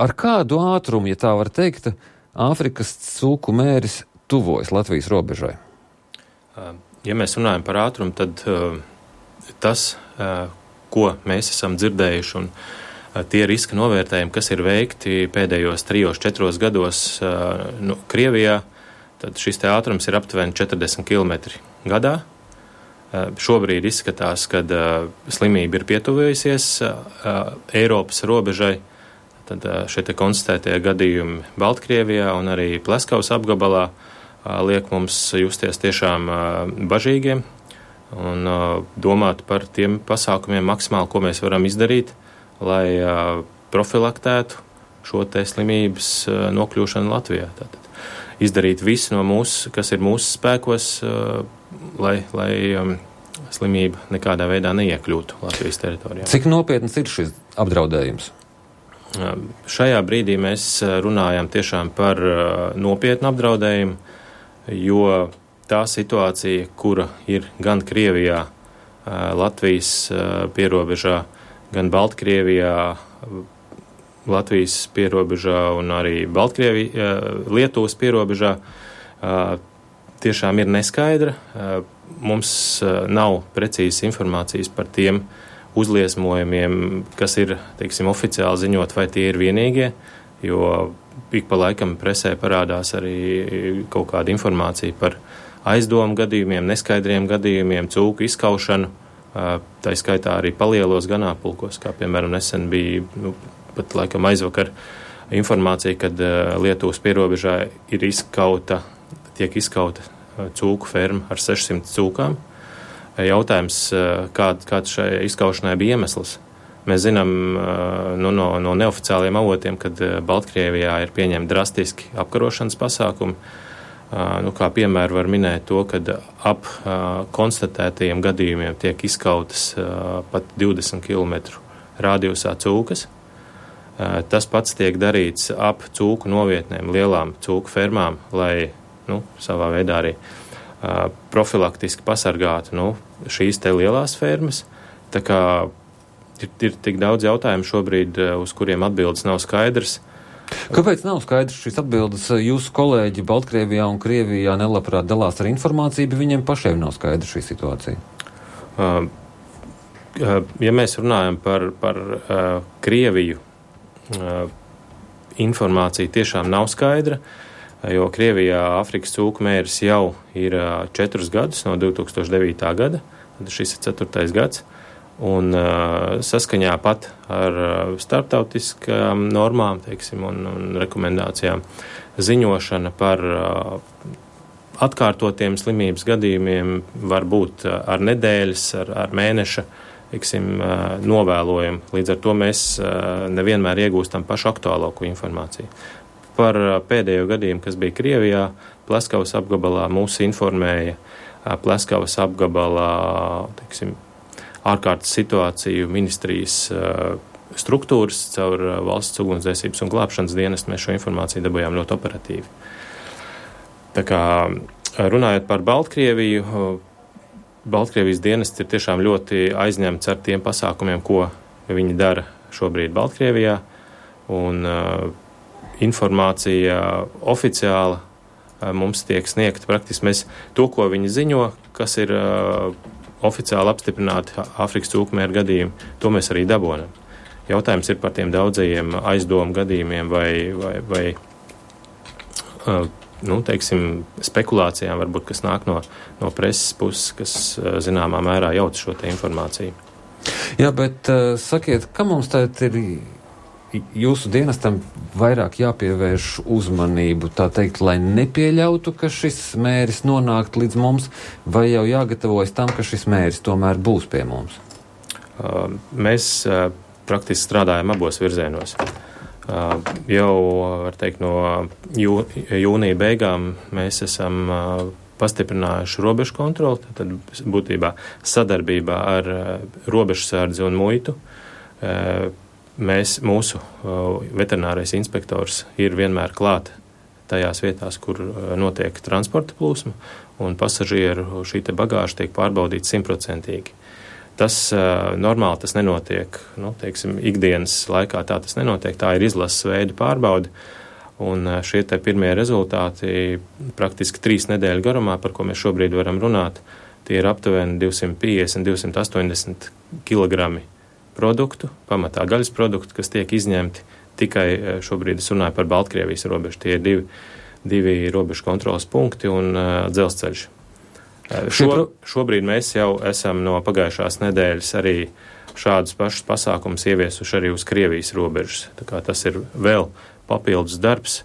Ar kādu ātrumu, ja tā var teikt, Āfrikas cūku mēris tuvojas Latvijas robežai? Ja mēs runājam par ātrumu, tad tas, ko mēs esam dzirdējuši, un tie riska novērtējumi, kas ir veikti pēdējos 3-4 gados Krievijā, tad šis te ātrums ir aptuveni 40 km gadā. Šobrīd izskatās, ka slimība ir pietuvējusies Eiropas robežai. Tad šie te konstatētie gadījumi Baltkrievijā un arī Pleskavas apgabalā liek mums justies tiešām bažīgiem un domāt par tiem pasākumiem maksimāli, ko mēs varam izdarīt, lai profilaktētu šo te slimības nokļūšanu Latvijā. Tātad izdarīt visu no mūsu, kas ir mūsu spēkos, lai slimība nekādā veidā neiekļūtu Latvijas teritorijā. Cik nopietns ir šis apdraudējums? Šajā brīdī mēs runājam tiešām par nopietnu apdraudējumu, jo tā situācija, kura ir gan Krievijā, Latvijas pierobežā, gan Baltkrievijā, Latvijas pierobežā un arī Lietuvas pierobežā, tiešām ir neskaidra. Mums nav precīzas informācijas par tiem uzliesmojumiem, kas ir, teiksim, oficiāli ziņot, vai tie ir vienīgie, jo ik pa laikam presē parādās arī kaut kāda informācija par aizdomu gadījumiem, neskaidriem gadījumiem, cūku izskaušanu, tā skaitā arī palielos ganāmpulkos, kā piemēram nesen bija, pat laikam aizvakar informācija, kad Lietuvas pierobežā tiek izskauta cūku ferma ar 600 cūkām. Jautājums, kāds šai izskaušanai bija iemesls. Mēs zinām no neoficiāliem avotiem, kad Baltkrievijā ir pieņemti drastiski apkarošanas pasākumi. Kā piemēru var minēt to, kad ap konstatētajiem gadījumiem tiek izskautas pat 20 km radiusā cūkas. Tas pats tiek darīts ap cūku novietnēm, lielām cūku fermām, lai savā veidā arī profilaktiski pasargātu šīs te lielās fermas. Tā kā ir tik daudz jautājumu šobrīd, uz kuriem atbildes nav skaidrs. Kāpēc nav skaidrs šīs atbildes? Jūsu kolēģi Baltkrievijā un Krievijā nelabprāt dalās ar informāciju, bet viņiem pašiem nav skaidra šī situācija. Ja mēs runājam par Krieviju, informācija tiešām nav skaidra, jo Krievijā Āfrikas cūku mēris jau ir 4 gadus, no 2009. gada, tad šis ir 4. gads, un saskaņā pat ar starptautiskām normām, teiksim, un rekomendācijām ziņošana par atkārtotiem slimības gadījumiem var būt ar nedēļas, ar mēneša, teiksim, novēlojumu. Līdz ar to mēs nevienmēr iegūstam pašu aktuālāko informāciju. Par pēdējo gadījumu, kas bija Krievijā, Pleskavas apgabalā mūs informēja Pleskavas apgabalā, teiksim, ārkārtas situāciju ministrijas struktūras caur valsts ugunsdzēsības un glābšanas dienestu. Mēs šo informāciju dabūjām ļoti operatīvi. Tā kā runājot par Baltkrieviju, Baltkrievijas dienests ir tiešām ļoti aizņemts ar tiem pasākumiem, ko viņi dara šobrīd Baltkrievijā, un informācija oficiāla mums tiek sniegta praktiski. Mēs to, ko viņi ziņo, kas ir oficiāli apstiprināti Āfrikas cūku mēru gadījumi, to mēs arī dabonam. Jautājums ir par tiem daudzajiem aizdomu gadījumiem vai teiksim, spekulācijām, varbūt, kas nāk no preses puses, kas zināmā mērā jauc šo te informāciju. Jā, bet sakiet, kam mums tagad ir jūsu dienestam vairāk jāpievērš uzmanību, tā teikt, lai nepieļautu, ka šis mēris nonākt līdz mums, vai jau jāgatavojas tam, ka šis mēris tomēr būs pie mums? Mēs praktiski strādājam abos virzienos. Jau, var teikt, no jūnija beigām mēs esam pastiprinājuši robežu kontroli, tad būtībā sadarbībā ar robežsardzi un muitu. Mūsu veterinārais inspektors ir vienmēr klāt tajās vietās, kur notiek transporta plūsma, un pasažieru šī te bagāža tiek pārbaudīta 100%. Tas normāli tas nenotiek, teiksim, ikdienas laikā tā tas nenotiek, tā ir izlases veida pārbaude, un šie te pirmie rezultāti praktiski 3 nedēļu garumā, par ko mēs šobrīd varam runāt, tie ir aptuveni 250-280 kilogrami produktu, pamatā gaļas produktu, kas tiek izņemti tikai šobrīd es runāju par Baltkrievijas robežu, tie ir divi robežu kontrolas punkti un dzelzceļš. Šobrīd mēs jau esam no pagājušās nedēļas arī šādus pašus pasākumus ieviesuši arī uz Krievijas robežas. Tā kā tas ir vēl papildus darbs,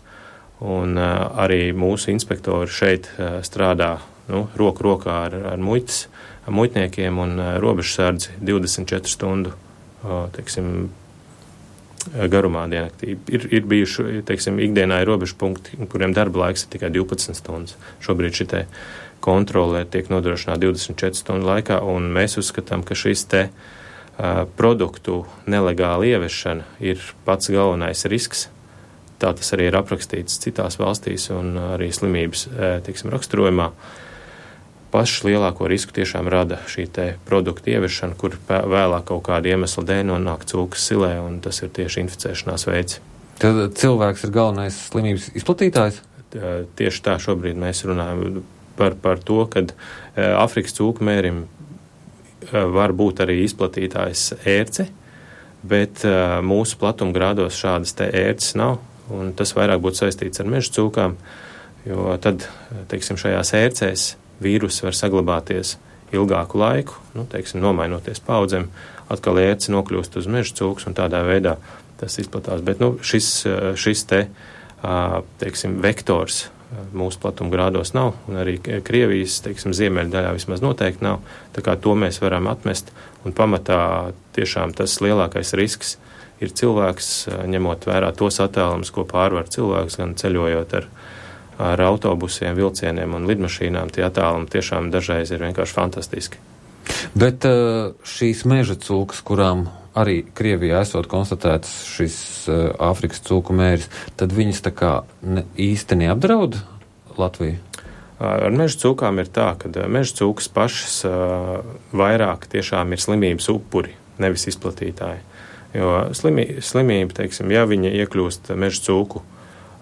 un arī mūsu inspektori šeit strādā roku rokā ar muitniekiem un robežsardzi 24 stundu, teiksim, garumā diennaktī. Ir bijuši, teiksim, ikdienā ir robežu punkti, kuriem darba laiks ir tikai 12 stundas. Šobrīd šitai kontrole tiek nodrošināta 24 stundu laikā, un mēs uzskatām, ka šis te produktu nelegāla ieviešana ir pats galvenais risks. Tā tas arī ir aprakstīts citās valstīs un arī slimības, teiksim, raksturojumā. Pašu lielāko risku tiešām rada šī te produktu ieviešana, kur vēlāk kaut kāda iemesla dēļ nonāk cūkas silē, un tas ir tieši inficēšanās veids. Tad cilvēks ir galvenais slimības izplatītājs? Tieši tā šobrīd mēs runājam par to, kad Afrikas cūku mērim var būt arī izplatītājs ērce, bet mūsu platumgrādos šādas te ērces nav, un tas vairāk būtu saistīts ar meža cūkām, jo tad, teiksim, šajās ērcēs vīrusi var saglabāties ilgāku laiku, teiksim, nomainoties paudzēm, atkal ērce nokļūst uz meža cūks, un tādā veidā tas izplatās. Bet, šis te, teiksim, vektors mūsu platumgrādos nav, un arī Krievijas, teiksim, ziemeļu daļā vismaz noteikti nav, tā kā to mēs varam atmest, un pamatā tiešām tas lielākais risks ir cilvēks, ņemot vērā tos attēlumus, ko pārvar cilvēks, gan ceļojot ar autobusiem, vilcieniem un lidmašīnām, tie attēlumi tiešām dažreiz ir vienkārši fantastiski. Bet šīs meža cūkas, kurām arī Krievijā esot konstatēts šis Āfrikas cūku mēris, tad viņas tā kā īsti neapdraud Latviju? Ar meža cūkām ir tā, ka meža cūkas pašas vairāk tiešām ir slimības upuri, nevis izplatītāji. Jo slimība, teiksim, ja viņa iekļūst meža cūku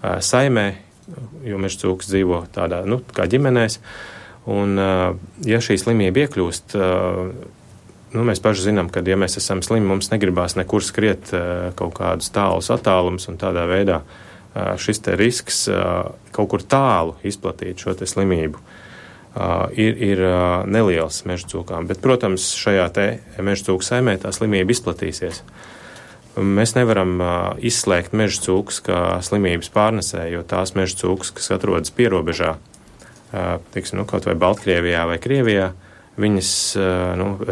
saimē, jo meža cūkas dzīvo tādā, kā ģimenēs, un ja šī slimība iekļūst, mēs paši zinām, ka ja mēs esam slimi, mums negribās nekur skriet kaut kādus tālus attālumus, un tādā veidā šis te risks kaut kur tālu izplatīt šo te slimību ir neliels meža cūkām. Bet, protams, šajā te meža cūku saimē tā slimība izplatīsies. Mēs nevaram izslēgt meža cūkas kā slimības pārnesēju, jo tās meža cūkas, kas atrodas pierobežā, teiksim, kaut vai Baltkrievijā vai Krievijā, viņas,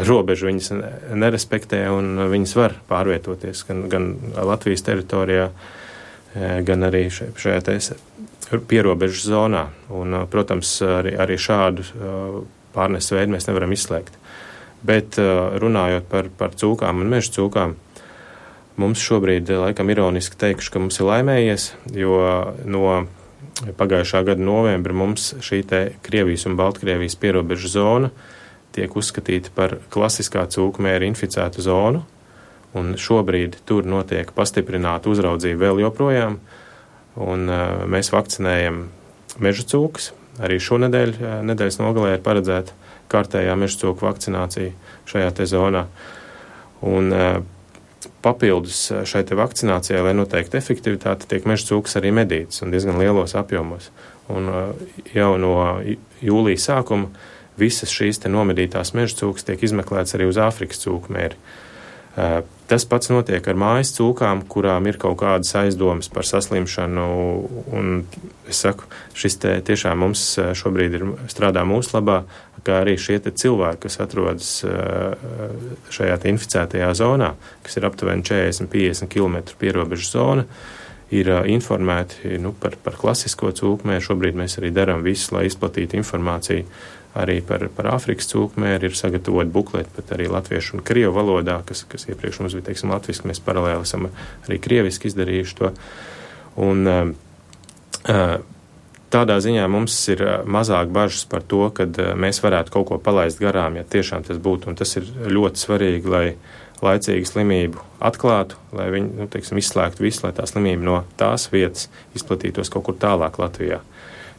robežu viņas nerespektē un viņas var pārvietoties gan Latvijas teritorijā, gan arī šajā pierobežas zonā. Un, protams, arī šādu pārnes veidu mēs nevaram izslēgt. Bet runājot par cūkām un meža cūkām, mums šobrīd, laikam, ironiski teikšu, ka mums ir laimējies, jo no pagājušā gada novembra mums šī te Krievijas un Baltkrievijas pierobežu zona tiek uzskatīta par klasiskā cūku mēra inficētu zonu, un šobrīd tur notiek pastiprināta uzraudzība vēl joprojām, un mēs vakcinējam meža cūkas. Arī šonedēļ, nedēļas nogalē ir paredzēta kārtējā meža cūku vakcinācija šajā te zonā. Un papildus šai te vakcinācijai, lai noteikti efektivitāte, tiek meža cūkas arī medītas un diezgan lielos apjomos. Un jau no jūlija sākuma visas šīs te nomedītās meža cūkas tiek izmeklētas arī uz Āfrikas cūku mēri. Tas pats notiek ar mājas cūkām, kurām ir kaut kādas aizdomas par saslimšanu, un es saku, šis te tiešām mums šobrīd strādā mūsu labā, kā arī šie te cilvēki, kas atrodas šajā te inficētajā zonā, kas ir aptuveni 40-50 km pierobežu zona, ir informēti par klasisko cūkmēru. Šobrīd mēs arī darām visu, lai izplatītu informāciju arī par Āfrikas cūkmēru. Ir sagatavot bukleti pat arī latviešu un krievu valodā, kas iepriekš mums bija, teiksim, latviski, mēs paralēli esam arī krieviski izdarījuši to. Un tādā ziņā mums ir mazāk bažas par to, kad mēs varētu kaut ko palaist garām, ja tiešām tas būtu, un tas ir ļoti svarīgi, lai laicīgu slimību atklātu, lai viņi, izslēgtu visu, lai tā slimība no tās vietas izplatītos kaut kur tālāk Latvijā.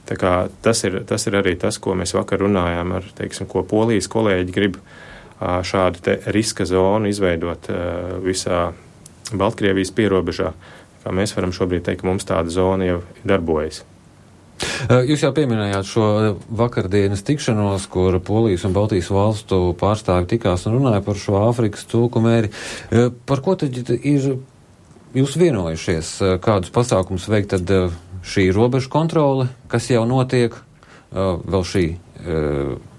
Tā kā tas ir arī tas, ko mēs vakar runājām ar, ko Polijas kolēģi grib šādu te riska zonu izveidot visā Baltkrievijas pierobežā. Kā mēs varam šobrīd teikt, ka mums tāda zona jau darbojas. Jūs jau pieminējāt šo vakardienas tikšanos, kur Polijas un Baltijas valstu pārstāvi tikās un runāja par šo Āfrikas cūku mēri. Par ko tad ir jūs vienojušies? Kādus pasākumus veikt tad šī robežu kontrole, kas jau notiek, vēl šī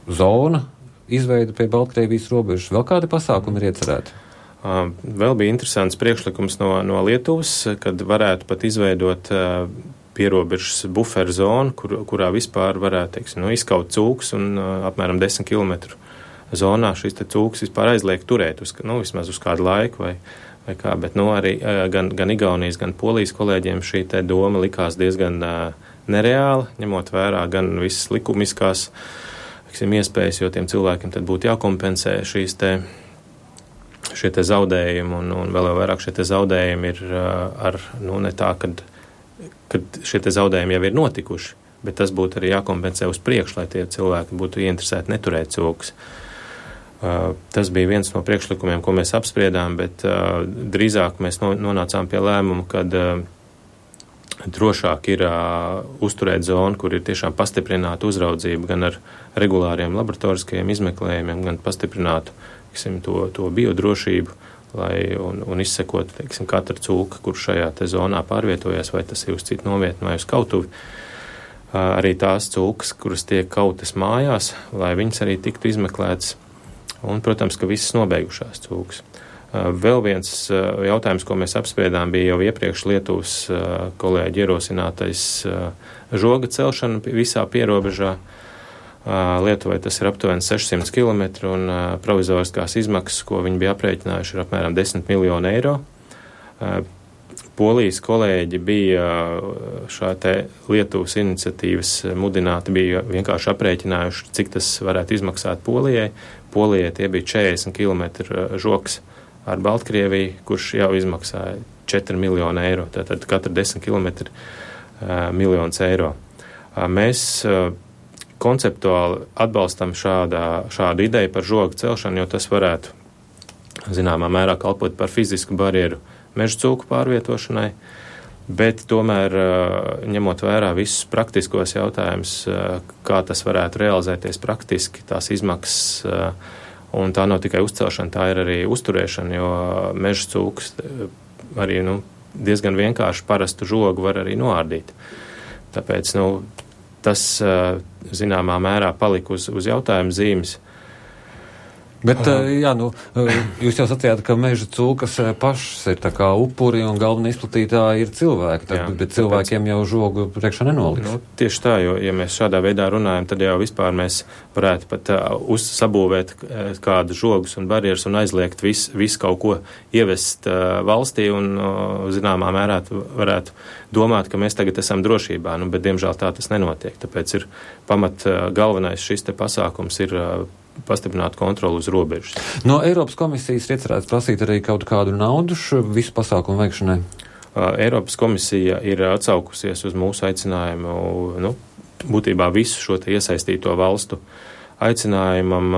zona izveida pie Baltkrievijas robežas? Vēl kādi pasākumi ir iecerēti? Vēl bija interesants priekšlikums no Lietuvas, kad varētu pat izveidot pierobežas buferu zonu, kurā vispār varētu, izkaut cūks un apmēram 10 km zonā šis te cūks vispār aizliek turēt vismaz uz kādu laiku vai kā, bet arī gan Igaunijas, gan Polijas kolēģiem šī te doma likās diezgan nereāla, ņemot vērā gan visas likumiskās iespējas, jo tiem cilvēkiem tad būtu jākompensē šie te zaudējumi, un vēl jau vairāk šie te zaudējumi ir ne tā, kad šie te zaudējumi jau ir notikuši, bet tas būtu arī jākompensē uz priekšu, lai tie cilvēki būtu ieinteresēti neturēt cūkus. Tas bija viens no priekšlikumiem, ko mēs apspriedām, bet drīzāk mēs nonācām pie lēmumu, kad drošāk ir uzturēt zonu, kur ir tiešām pastiprināta uzraudzība gan ar regulāriem laboratoriskajiem izmeklējumiem, gan pastiprinātu to biodrošību, un izsekot, katru cūku, kur šajā te zonā pārvietojas, vai tas ir uz citu novietni vai uz kautuvi. Arī tās cūkas, kuras tiek kautas mājās, lai viņas arī tiktu izmeklētas, un, protams, ka visas nobeigušās cūkas. Vēl viens jautājums, ko mēs apspriedām, bija jau iepriekš Lietuvas kolēģi ierosinātais žoga celšana visā pierobežā. Lietuvai tas ir aptuveni 600 km, un provizoriskās izmaksas, ko viņi bija aprēķinājuši, ir apmēram 10 miljoni eiro. Polijas kolēģi bija šā te Lietuvas iniciatīvas mudināti, bija vienkārši aprēķinājuši, cik tas varētu izmaksāt Polijai. Polijai tie bija 40 km žoks ar Baltkrieviju, kurš jau izmaksāja 4 miljoni eiro, tātad katra 10 km miljonus eiro. Mēs konceptuāli atbalstam šādu ideju par žogu celšanu, jo tas varētu zināmā mērā kalpot par fizisku barjeru meža cūku pārvietošanai, bet tomēr ņemot vērā visus praktiskos jautājumus, kā tas varētu realizēties praktiski, tās izmaksas, un tā nav tikai uzcelšana, tā ir arī uzturēšana, jo meža cūks arī diezgan vienkārši parastu žogu var arī noārdīt. Tāpēc, tas zināmā mērā palika uz jautājumu zīmes. Bet, jūs jau sacījāt, ka meža cūkas pašas ir tā kā upuri un galvenie izplatītāji ir cilvēki, bet cilvēkiem jau žogu priekšā nenoliks. Tieši tā, jo, ja mēs šādā veidā runājam, tad jau vispār mēs varētu pat sabūvēt kādu žogus un barjeras un aizliegt visu kaut ko ievest valstī un zināmā mērā varētu domāt, ka mēs tagad esam drošībā, bet diemžēl tā tas nenotiek. Tāpēc ir galvenais šis te pasākums ir pastiprināt kontroli uz robežas. No Eiropas komisijas ir iecerēts prasīt arī kaut kādu naudu visu pasākumu veikšanai? Eiropas komisija ir atsaukusies uz mūsu aicinājumu, būtībā visu šo te iesaistīto valstu aicinājumam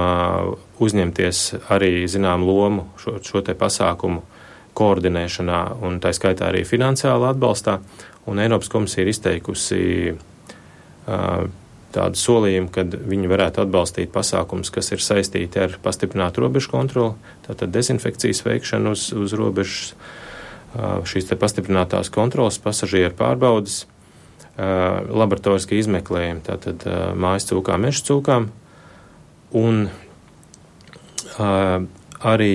uzņemties arī zinām lomu šo te pasākumu koordinēšanā un tā skaitā arī finansiāli atbalstā. Un Eiropas komisija ir izteikusi tādu solījumu, kad viņi varētu atbalstīt pasākumus, kas ir saistīti ar pastiprinātu robežu kontroli, tātad dezinfekcijas veikšanu uz robežas, šīs te pastiprinātās kontrolas, pasažieru pārbaudas, laboratoriski izmeklējumi, tātad mājas cūkām, meža cūkām, un arī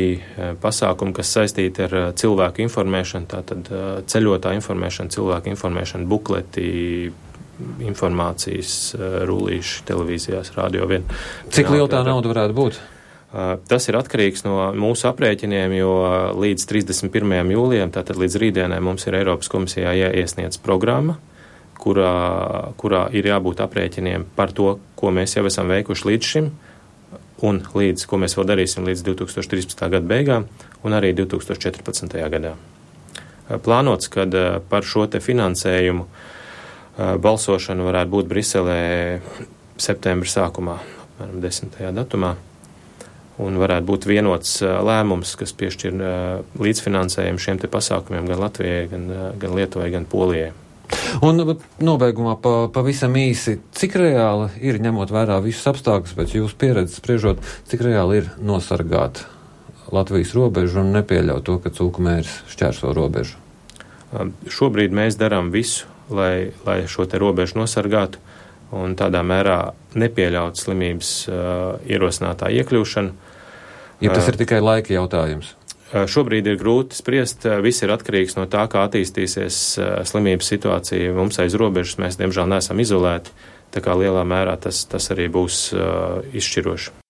pasākumi, kas saistīti ar cilvēku informēšanu, tātad ceļotā informēšana, cilvēku informēšana, bukleti, informācijas rullīši televīzijās, radio vien. Cik liela tā nauda varētu būt? Tas ir atkarīgs no mūsu aprēķiniem, jo līdz 31. jūlijam, tātad līdz rītdienai mums ir Eiropas komisijā jāiesniedz programma, kurā ir jābūt aprēķiniem par to, ko mēs jau esam veikuši līdz šim, un ko mēs vēl darīsim līdz 2013. Gada beigām, un arī 2014. gadā. Plānots, kad par šo te finansējumu balsošana varētu būt Briselē septembra sākumā, apmēram 10. datumā, un varētu būt vienots lēmums, kas piešķir līdzfinansējumu šiem te pasākumiem gan Latvijai, gan Lietuvai, gan Polijai. Un nobeigumā pavisam īsi, cik reāli ir, ņemot vērā visus apstākļus, pēc jūsu pieredzes spriežot, cik reāli ir nosargāt Latvijas robežu un nepieļaut to, ka cūku mērs šķērso robežu? Šobrīd mēs darām visu, lai šo te robežu nosargātu un tādā mērā nepieļaut slimības ierosinātā iekļūšanu. Ja tas ir tikai laika jautājums? Šobrīd ir grūti spriest, viss ir atkarīgs no tā, kā attīstīsies slimības situācija mums aiz robežas. Mēs, diemžēl, neesam izolēti, tā kā lielā mērā tas arī būs izšķiroši.